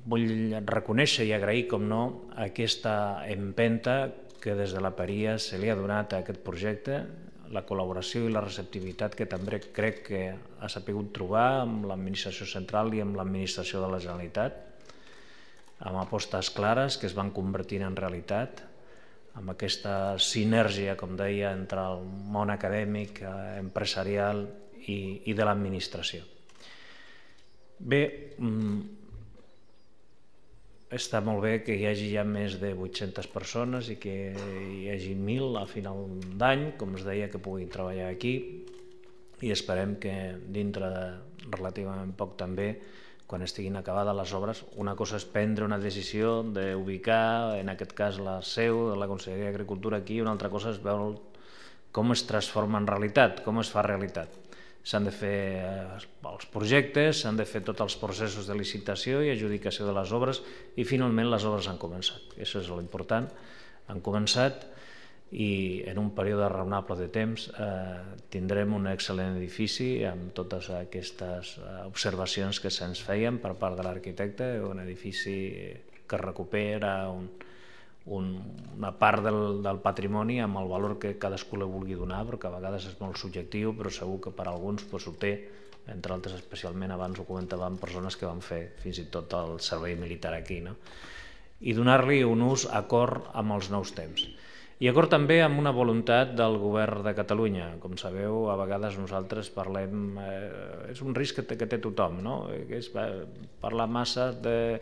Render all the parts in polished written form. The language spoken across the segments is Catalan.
vull reconèixer i agrair, com no, aquesta empenta que des de la Paria se li ha donat a aquest projecte, la col·laboració i la receptivitat que també crec que ha sabut trobar amb l'administració central i amb l'administració de la Generalitat, amb apostes clares que es van convertint en realitat, amb aquesta sinergia, com deia, entre el món acadèmic, empresarial i de l'administració. Bé, està molt bé que hi hagi ja més de 800 persones i que hi hagi 1.000 a final d'any, com es deia, que puguin treballar aquí, i esperem que dintre de relativament poc també, quan estiguin acabades les obres, una cosa és prendre una decisió d'ubicar, en aquest cas, la seu de la Conselleria d'Agricultura aquí, i una altra cosa és veure com es transforma en realitat, com es fa realitat. S'han de fer els projectes, s'han de fer tots els processos de licitació i adjudicació de les obres i finalment les obres han començat. Això és l'important. Han començat i en un període raonable de temps tindrem un excel·lent edifici amb totes aquestes observacions que se'ns feien per part de l'arquitecte, un edifici que recupera una part del patrimoni amb el valor que cadascú li vulgui donar, perquè a vegades és molt subjectiu, però segur que per a alguns ho té, entre altres especialment abans ho comentàvem persones que van fer fins i tot el servei militar aquí, i donar-li un ús acord amb els nous temps. I acord també amb una voluntat del govern de Catalunya. Com sabeu, a vegades nosaltres parlem, és un risc que té tothom, que és parlar massa de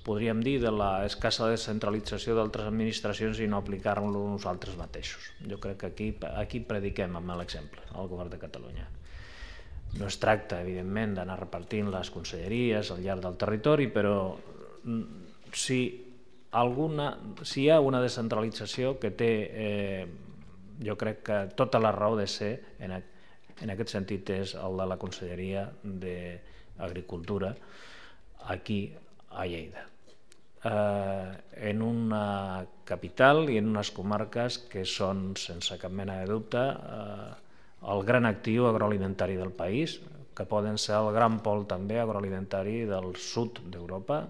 podríem dir, de l'escassa descentralització d'altres administracions i no aplicar-lo nosaltres mateixos. Jo crec que aquí prediquem amb l'exemple, al govern de Catalunya. No es tracta, evidentment, d'anar repartint les conselleries al llarg del territori, però si hi ha una descentralització que té, jo crec que tota la raó de ser, en aquest sentit, és el de la Conselleria d'Agricultura aquí a Lleida, en una capital i en unes comarques que són, sense cap mena de dubte, el gran actiu agroalimentari del país, que poden ser el gran pol també agroalimentari del sud d'Europa,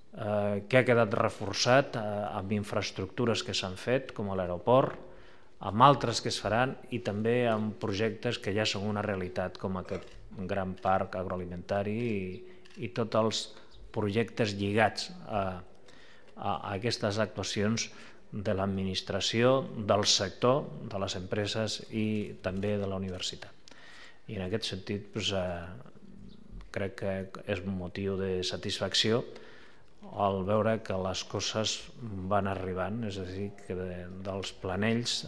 que ha quedat reforçat amb infraestructures que s'han fet, com l'aeroport, amb altres que es faran i també amb projectes que ja són una realitat, com aquest gran parc agroalimentari i tots els projectes lligats a aquestes actuacions de l'administració, del sector, de les empreses i també de la universitat. I en aquest sentit crec que és un motiu de satisfacció al veure que les coses van arribant, és a dir, que dels planells,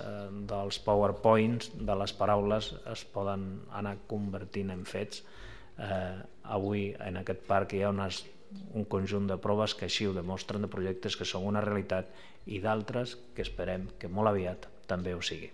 dels powerpoints, de les paraules es poden anar convertint en fets. Avui en aquest parc hi ha un conjunt de proves que així ho demostren, de projectes que són una realitat i d'altres que esperem que molt aviat també ho sigui.